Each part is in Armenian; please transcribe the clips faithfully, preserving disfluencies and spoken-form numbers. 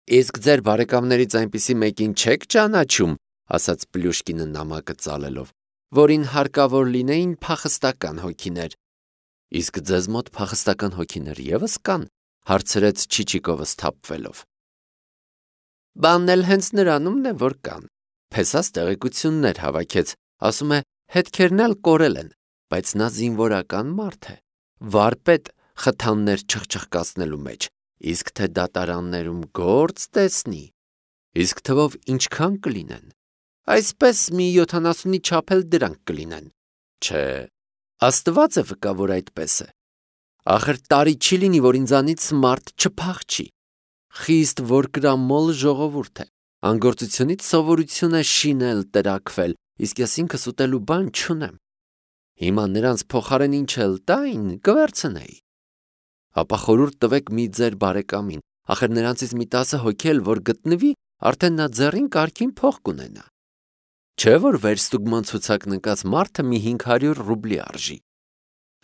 Իսկ ձեր բարեկամներից այնպիսի մեկին չեք ճանաչում, ասաց Պլյուշկինը նամակը ծալելով, որին հարկավոր լինեին փախստական հոգիներ։ Իսկ ձեզ մոտ փախստական հոգիներ ևս կան, հարցրեց Չիչիկովը սթափվելով։ Բանն էլ հենց նրանումն է, որ կան։ Փեսաս տեղեկություններ հավաքեց, ասում է, հետքերն էլ կորել են, բայց նա զինվորական մարդ է, վարպետ խթաններ չխչխկացնելու մեջ, իսկ թե դատարաններում գործ տեսնի, իսկ թվով ինչքան կլինեն, այսպես մի յոթանասունի չափ էլ դրանք կլինեն, չէ, Աստված է վկա, որ այդպես է, ախր տարի չի լինի, որ ինձանից մարդ չփախչի, խիստ որ կրամոլ ժողովուրդ է, անգործությունից սովորություն է շինել, տրաքվել, իսկ ես ինքս ուտելու բան չունեմ, հիմա նրանց փոխարեն ինչ էլ տային, կվերցնեի, ապա խորհուրդ տվեք մի ձեր բարեկամին, ախր նրանցից մի տասը հոգի էլ որ գտնվի, արդեն նա ձեռին կարգին փող կունենա, չէ որ վերստուգման ցուցակ նկած մարդը մի հինգ հարյուր ռուբլի արժի,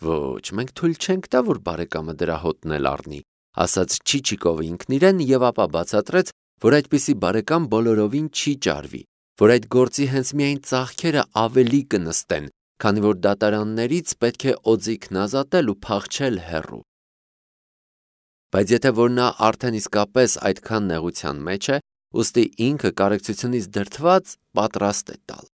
ոչ, մենք թույլ չենք տա, որ բարեկամը դրա հոտն էլ առնի, ասաց Չիչիկովը ինքն իրեն և ապա բացատրեց, որ այդպիսի բարեկամ բոլորովին չի ճարվի, որ այդ գործի հենց միայն ծախքերը ավելի կնստեն, քանի որ դատարաններից պետք է օձիքն ազատել ու փախչել հեռու։ Բայց եթե որ նա արդեն իսկապես այդքան նեղության մեջ է, ուստի ինքը կարեկցությունից դրդված պատրաստ է տալ։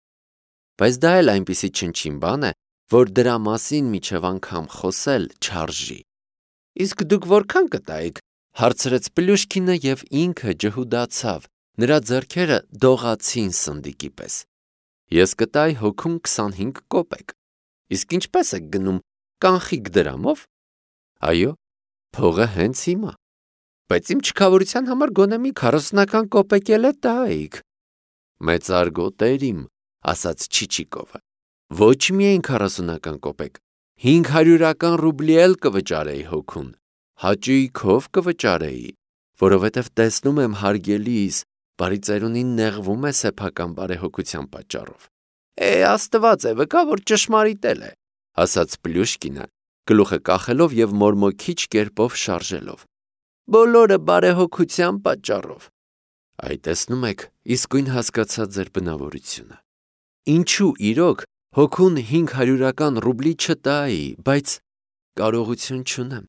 Բայց դա էլ այնպիսի չնչին բան է, որ դրա մասին միջև անգամ խոսել չարժի։ Իսկ դուք որքան կտայիք, հարցրեց Պլյուշկինը և ինքը ջհուդացավ, նրա ձեռքերը դողացին սնդիկի պես։ Ես կտայի հոգում քսանհինգ կոպեկ։ Իսկ ինչպես եք գնում, կանխիկ դրամով։ Այո, փողը հենց հիմա։ Բայց իմ չքավորության համար գոնե մի քառասունական կոպեկ էլ է տայիք։ Մեծարգոտեր իմ, ասաց Չիչիկովը։ Ոչ միայն քառասունական կոպեկ, հինգ հարյուրական ռուբլի էլ կվճարեի հոգուն, հաճույքով կվճարեի, որովհետև տեսնում եմ հարգելիս, բարի ծերունին նեղվում է սեփական բարեհոգության պատճառով։ Է, Աստված է վկա, որ ճշմարիտ է, ասաց Պլյուշկինը, գլուխը կախելով և մորմոքիչ կերպով շարժելով։ Բոլորը բարեհոգության պատճառով։ Այ տեսնում եք, իսկույն հասկացա ձեր բնավորությունը։ Ինչու իրոք հոգուն հինգ հարյուրական ռուբլի չտայի, բայց կարողություն չունեմ։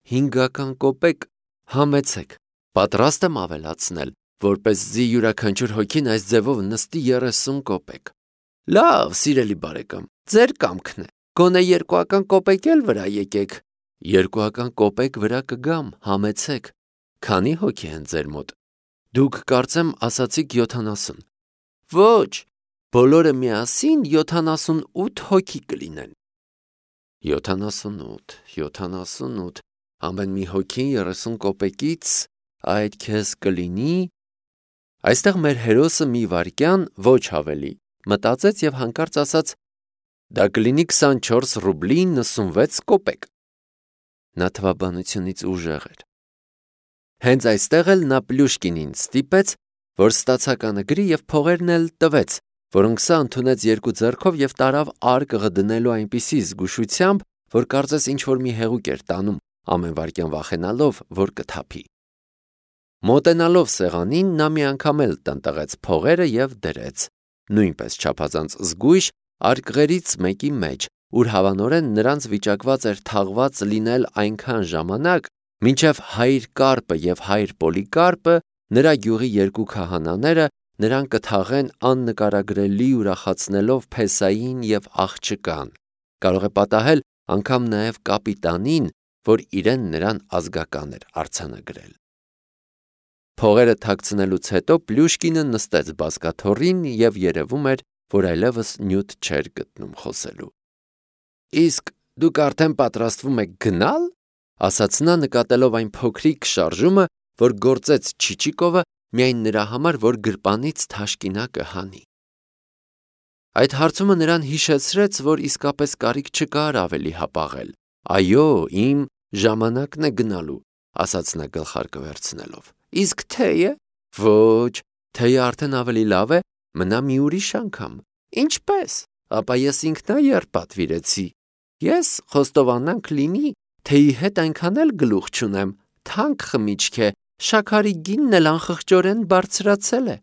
Հինգական կոպեկ համեցեք, պատրաստ եմ ավելացնել, որպեսզի յուրաքանչյուր հոգին այս ձևով նստի երեսուն կոպեկ։ Լավ, սիրելի բարեկամ, ձեր կամքն է, գոնե երկուական կոպեկ էլ վրա եկեք։ Երկուական կոպեկ վրա կգամ, համեցեք։ Քանի հոգի են ձեր մոտ։ Դուք կարծեմ ասացիք յոթանասուն։ Ոչ, բոլորը միասին յոթանասունութ հոգի կլինեն։ Յոթանասունութ, յոթանասունութ, ամեն մի հոգին երեսուն կոպեկից, այդ քեզ կլինի։ Այստեղ մեր հերոսը մի վայրկյան, ոչ ավելի, մտածեց և հանկարծ ասաց. դա կլինի քսանչորս ռուբլի նսունվեց կոպեկ։ Նա թվաբանությունից ուժեղ էր։ Հենց այստեղ էլ նա Պլյուշկինին ստիպեց, որ ստացականը գրի և փողերն էլ տվեց, որոնք սա ընդունեց երկու ձեռքով և տարավ արկղը դնելու այնպիսի զգուշությամբ, որ կարծես ինչ-որ մի հեղուկ էր տանում, ամեն վայրկյան վախենալով, որ կթափի։ Մոտենալով սեղանին, նա մի անգամ էլ տնտղեց փողերը և դրեց, նույնպես չափազանց զգույշ, արկղերից մեկի մեջ, ուր հավանորեն նրանց վիճակված էր թաղված լինել այնքան ժամանակ, մինչև հայր Կարպը և հայր Պոլիկարպը, նրա գյուղի երկու քահանաները, նրան կթաղեն աննկարագրելի ուրախացնելով Փեսային և աղջկան, կարող է պատահել անգամ նաև կապիտանին, որ իրեն նրան ազգական էր արձանագրել։ Փողերը թաքցնելուց հետո Պլյուշկինը նստեց բազկաթոռին և երևում էր, որ այլևս նյութ չէր գտնում խոսելու։ Իսկ դուք արդեն պատրաստվում եք գնալ, ասաց նա նկատելով այն փոքրիկ շարժումը, որ գործեց Չիչիկովը միայն նրա համար, որ գրպանից թաշկինակը հանի։ Այդ հարցումը նրան հիշեցրեց, որ իսկապես կարիք չկար ավելի հապաղել։ Այո, իմ ժամանակն է գնալու, ասաց նա գլխարկը վերցնելով։ Իսկ թեյը։ Ոչ, թեյը արդեն ավելի լավ է, մնա մի ուրիշ անգամ։ Ինչպես։ Ապա ես ինքնաերբ պատվիրեցի։ Ես խոստովանանք լինի, թեյի հետ այնքան էլ գլուխ չունեմ, թանկ խմիչք է, շաքարի գինն էլ անխղճորեն բարձրացել է։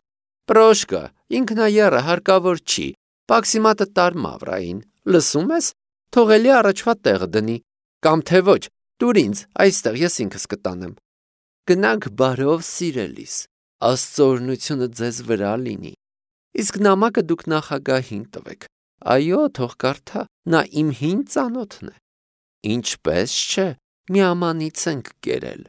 Պրոշկա, ինքնայառը հարկավոր չի, պաքսիմատը տար Մավրային, լսում ես, թողելի առաջվա տեղը դնի, կամ թե ոչ, տուր ինձ, այստեղ ես ինքս կտանեմ։ Գնանք բարով, սիրելիս, Աստծո օրհնությունը ձեզ վրա լինի։ Իսկ նամակը դուք նախագահին տվեք, այո, թող կարդա, նա իմ հին ծանոթն է։ Ինչպես չէ, միամանից ենք կերել։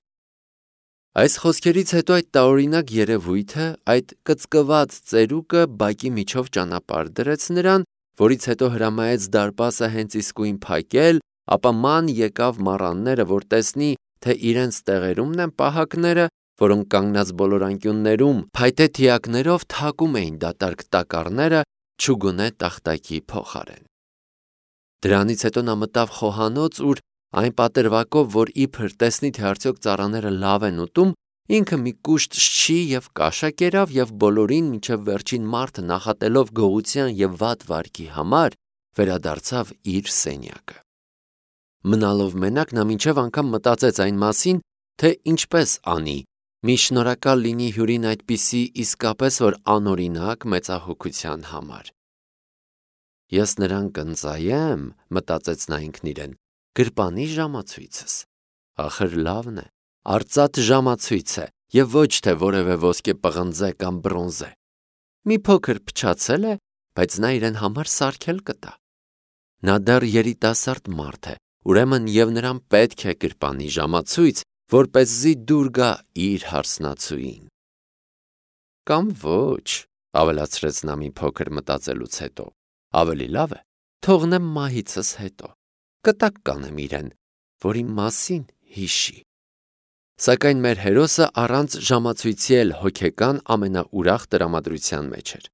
Այս խոսքերից հետո այդ տարօրինակ երևույթը, այդ կծկված ծերուկը բակի միջով ճանապարհ դրեց նրան, որից հետո հրամայեց դարպասը հենց իսկույն փակել, ապա ման եկավ մառանները, որ տեսնի, թե իրենց տեղերումն են պահակները, որոնք կանգնած բոլոր անկյուններում փայտե թիակներով թակում էին դատարկ տակառները չուգունե տախտակի փոխարեն։ Դրանից հետո նա մտավ խոհանոց, ուր այն պատրվակով, որ իբր տեսնի, թե արդյոք ծառաները լավ են ուտում, ինքը մի կուշտ շչի և կաշա կերավ և բոլորին մինչև վերջին մարդը նախատելով գողության և վատ վարքի համար, վերադարձավ իր սենյակը։ Մնալով մենակ նա մինչև անգամ մտածեց այն մասին, թե ինչպես անի, մի շնորհակալ լինի հյուրին այդպիսի իսկապես որ անօրինակ մեծահոգության համար։ Ես նրան կընծայեմ, մտածեց նա ինքն իրեն, գրպանի ժամացույցս, ախր լավն է, արծաթ ժամացույց է և ոչ թե որևէ ոսկե պղնձե կամ բրոնզե։ Մի փոքր փչացել է, բայց նա իրեն համար սարքել կտա։ Նա դեռ երիտասարդ մարդ է, ուրեմն և նրան պետք է գրպանի ժամացույց, որպեսզի դուր գա իր հարսնացուին։ Կամ ոչ, ավելացրեց նա մի փոքր մտածելուց հետո, ավելի լավ է, թողնեմ մահիցս հետո, կտակ կանեմ իրեն, որի մասին հիշի։ Սակայն մեր հերոսը առանց ժամացույցի էլ հոգեկան ամենաուրախ տրամադրության մեջ էր։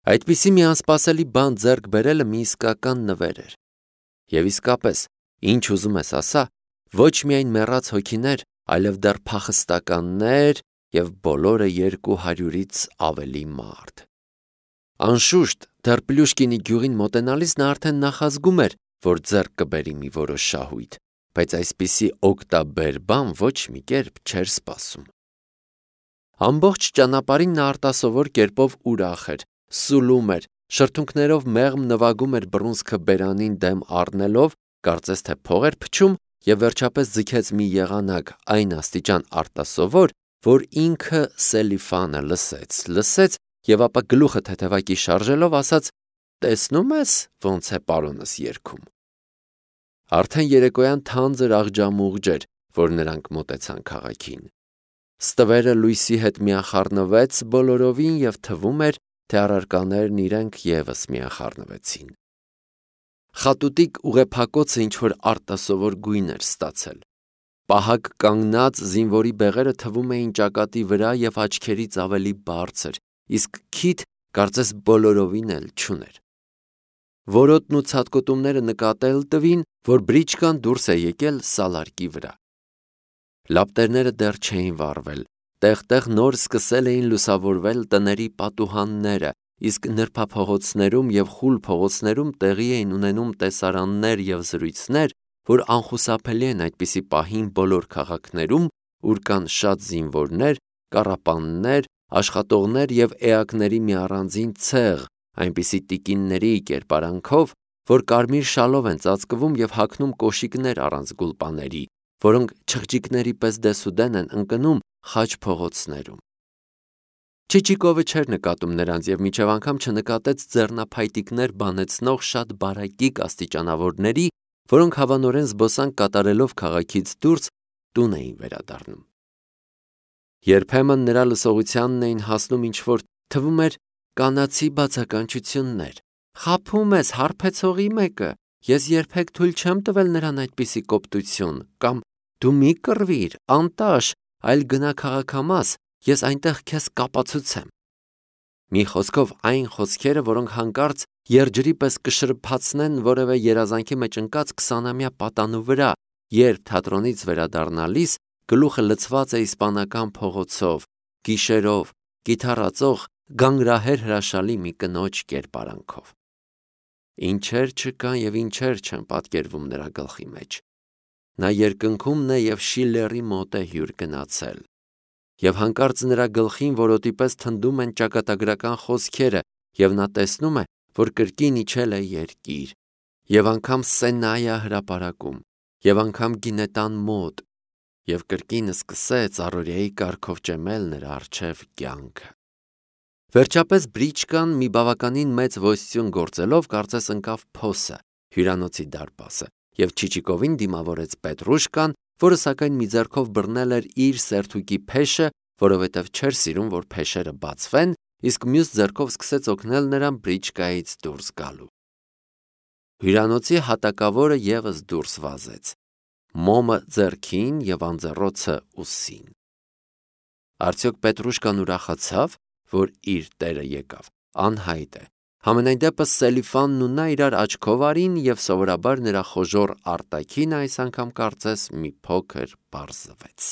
Այդպիսի մի անսպասելի բան ձեռք բերելը մի իսկական նվեր էր։ Եվ իսկապես, ինչ ուզում ես ասա, ոչ միայն մեռած հոգիներ, այլև դեռ փախստականներ և բոլորը երկու հարյուրից ավելի մարդ։ Անշուշտ, դեռ Պլյուշկինի գյուղին մոտենալիս նա արդեն նախազգում էր, որ ձեռք կբերի մի որոշ շահույթ, բայց այսպիսի օգտաբեր բան ոչ մի կերպ չէր սպասում։ Ամբողջ ճանապարհին նա արտասովոր կերպով ուրախ էր, սուլում էր, շրթունքներով մեղմ նվագում էր բռունցքը բերանին դեմ առնելով, կարծես թե փող էր փչում և վերջապես ձգեց մի եղանակ այն աստիճան արտասովոր, որ ինքը Սելիֆանը լսեց, լսեց և ապա գլուխը թեթևակի շարժելով ասաց. «Տեսնում ես, ոնց է պարոնս երգում»։ Արդեն երեկոյան թանձր աղջամուղջ էր, որ նրանք մոտեցան քաղաքին։ Ստվերը լույսի հետ միախառնվեց բոլորովին և թվում էր, թե առարկաներն իրենք ևս միախառնվեցին։ Խատուտիկ ուղեփակոցը ինչ-որ արտասովոր գույն էր ստացել։ Պահակ կանգնած զինվորի բեղերը թվում էին ճակատի վրա և աչքերից ավելի բարձր, իսկ քիթ կարծես բոլորովին էլ չուներ։ Որոտն ու ցատկոտումները նկատել տվին, որ բրիչկան դուրս է եկել սալարկի վրա։ Լապտերները դեռ չէին վառվել, տեղ-տեղ նոր սկսել էին լուսավորվել տների պատուհանները, իսկ նրբափողոցներում և խուլ փողոցներում տեղի էին ունենում տեսարաններ և զրույցներ, որ անխուսափելի են այդպիսի պահին բոլոր քաղաքներում, ուր կան շատ զինվորներ, կառապաններ, աշխատողներ և էակների մի առանձին ցեղ, այնպիսի տիկինների կերպարանքով, որ կարմիր շալով են ծածկվում և հագնում կոշիկներ առանց գուլպաների, որոնք չղջիկների պես դեսուդեն են ընկնում խաչ փողոցներում։ Չիչիկովը չէր նկատում նրանց և մինչև անգամ չնկատեց ձեռնափայտիկներ բանեցնող շատ բարակիկ աստիճանավորների, որոնք հավանորեն զբոսանք կատարելով քաղաքից դուրս տուն էին վերադառնում։ Երբեմն նրա լսողությանն էին հասնում ինչ-որ թվում էր կանացի բացականչություններ. «Խաբում ես, հարբեցողի մեկը, ես երբեք թույլ չեմ տվել նրան այդպիսի կոպտություն» կամ «Դու մի կռվիր, անտաշ, այլ գնա քաղաքամաս, ես այնտեղ քեզ կապացուցեմ»։ Մի խոսքով այն խոսքերը, որոնք հանկարծ երջրի պես կշրփացնեն որևէ երազանքի մեջ ընկած քսանամյա պատանու վրա, երբ թատրոնից վերադառնալիս գլուխը լցված է իսպանական փողոցով, գիշերով, կիթառածող գանգրահեր հրաշալի մի կնոջ կերպարանքով։ Ինչեր չկան և ինչեր չեն պատկերվում նրա գլխի մեջ։ Նա երկնքում է և Շիլլերի մոտ է հյուր գնացել, եւ հանկարծ նրա գլխին որոտի պես թնդում են ճակատագրական խոսքերը, եւ նա տեսնում է, որ կրկին իջել է երկիր, եւ անգամ Սենայա հրապարակում, եւ անգամ գինետան մոտ, եւ կրկին սկսեց առօրյայի կարգով ճեմել նրա առջև կյանքը։ Վերջապես Բրիչկան մի բավականին մեծ ոստյուն գործելով կարծես ընկավ փոսը, հյուրանոցի դարպասը, եւ Չիչիկովին դիմավորեց Պետրուշկան, որը սակայն մի ձեռքով բռնել էր իր սերթուկի փեշը, որովհետև չէր սիրում, որ փեշերը բացվեն, իսկ մյուս ձեռքով սկսեց օգնել նրան Բրիչկայից դուրս գալու։ Հյուրանոցի հատակավորը ևս դուրս վազեց, մոմը ձեռքին եւ անձեռոցը ուսին։ Արդյոք Պետրուշկան ուրախացավ, որ իր տերը եկավ, անհայտ է։ Համենայն դեպս Սելիֆանն ու նա իրար աչքով արին եւ սովորաբար նրա խոժոռ արտաքինը այս անգամ կարծես մի փոքր պարզվեց։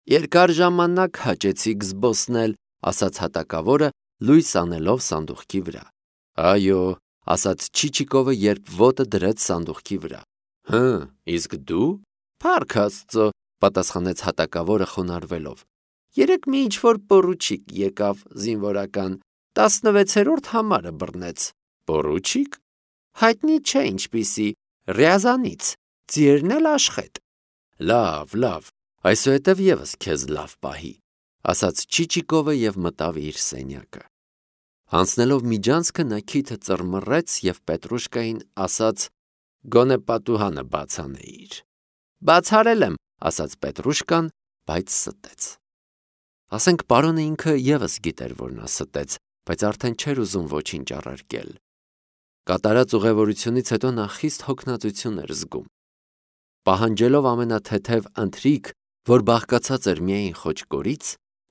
Երկար ժամանակ հաճեցիք զբոսնել, ասաց հատակավորը, լույս անելով սանդուղքի վրա։ Այո, ասաց Չիչիկովը, երբ ոտը դրեց սանդուղքի վրա։ Հը, իսկ դու։ Փառք Աստծո, պատասխանեց հատակավորը խոնարհվելով։ Երեք մի ինչ-որ պորուչիկ եկավ զինվորական, տասնվեցերորդ համարը բռնեց։ Պորուչիկ։ Հայտնի չէ ինչպիսի, Ռյազանից, ձիերն էլ աշխետ։ Լավ, լավ, այսուհետև եւս քեզ լավ պահի, ասաց Չիչիկովը եւ մտավ իր սենյակը։ Անցնելով միջանցքը նա քիթը ծռմռեց եւ Պետրուշկային ասաց. Գոնե պատուհանը բացանեիր։ Բացարել եմ, ասաց Պետրուշկան, բայց ստեց։ Ասենք պարոնը ինքը եւս գիտեր, որ նա ստեց, բայց արդեն չէր ուզում ոչինչ առարկել։ Կատարած ուղևորությունից հետո նա խիստ հոգնածություն էր զգում։ Պահանջելով ամենաթեթև ընթրիք, որ բաղկացած էր միայն խոճկորից,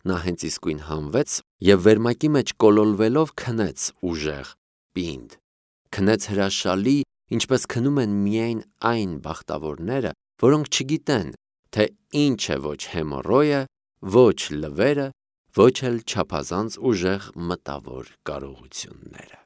նա հենց իսկույն հանվեց եւ վերմակի մեջ կոլոլվելով քնեց ուժեղ, պինդ, քնեց հրաշալի, ինչպես քնում են միայն այն բախտավորները, որոնք չգիտեն, թե ինչ է ոչ հեմորոյը, ոչ լվերը, ոչ էլ չափազանց ուժեղ մտավոր կարողությունները։